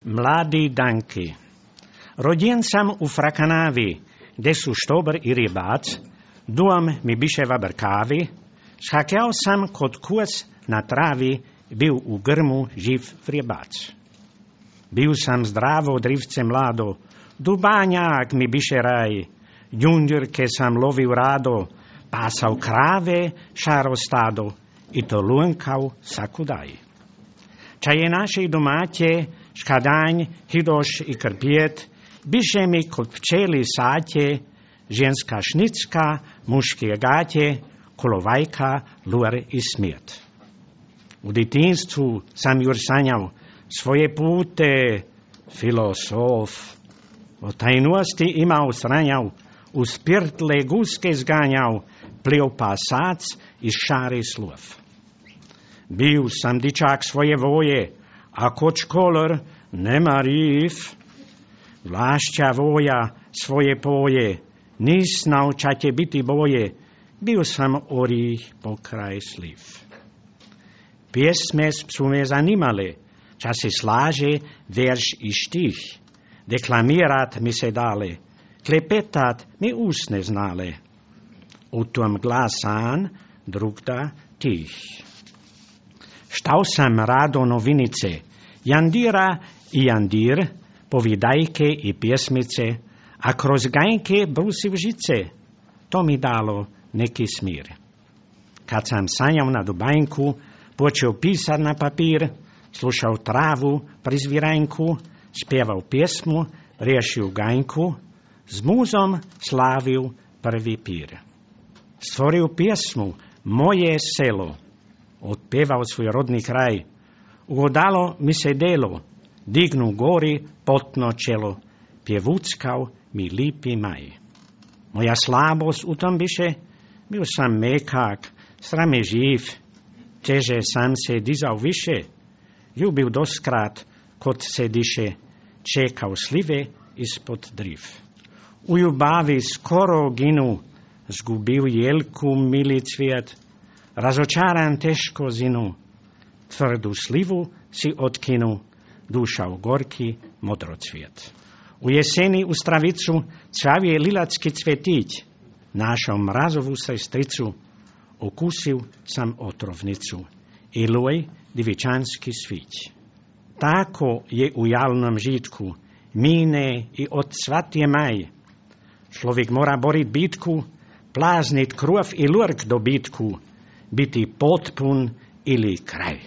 Mladí Danky. Rodien sam u Frakanávi, kde sú štober i rybác, dom mi biše vaber kávy, schakiał sam kod kôz na trávi, byl u grmu živ rybác. Byl sam zdravo drivce mlado, dubáňák mi biše raj, ďunďurke sam lovil rádo, pásal kráve šáro stádo, i to lúnkal sakudaj. Čaje našej domáte, škadáň, hydoš i krpiet, biše mi kod včeli sáte, ženská šnicka, mužské gáte, kolovajka, luer i smiet. U detinstvu sam jur sanjal svoje pute, filosof. O tajnosti imao sranjal, u spirtle guske zganjal, plio pasac i šari slov. Bio sam dičak svoje voje, a koč kolor nema riv. Vlašća voja svoje poje, nis naučate biti boje, bio sam orih pokraj sliv. Pjesme su me zanimale, časi slaže verš i štih, deklamirat mi se dale, klepetat mi usne znale. U tom glasan drugda tih. Štao sam rado novinice, Jandira i Jandir, povidajke i pjesmice, a kroz gajke brusiv žice, to mi dalo neki smir. Kad sam sanjao na dubajnku, počeo pisat na papir, slušao travu pri zviranjku, spjevao pjesmu, riješio gajnku, s muzom slavio prvi pir. Stvorio pjesmu Moje selo, otpevao svoj rodni kraj, ugodalo mi se delo, dignu gori potno čelo, pjevuckao mi lipi maj. Moja slabost u tom biše, bio sam mekak, srame živ, teže sam se dizao više, ljubil doskrat kod se diše, čekao slive ispod driv. U ljubavi skoro ginu, zgubil jelku mili cvijet, razočaran teško zinu, tvrdu slivu si otkinu, duša u gorki modrocvijet. U jeseni u stravicu cvavije lilacki cvetić, našao mrazovu sestricu, okusil sam otrovnicu, i luj divičanski svić. Tako je u jalnom žitku, mine i odsvatje maj. Človek mora borit bitku, plaznit krov i lurk do bitku, biti potpun ili kraj.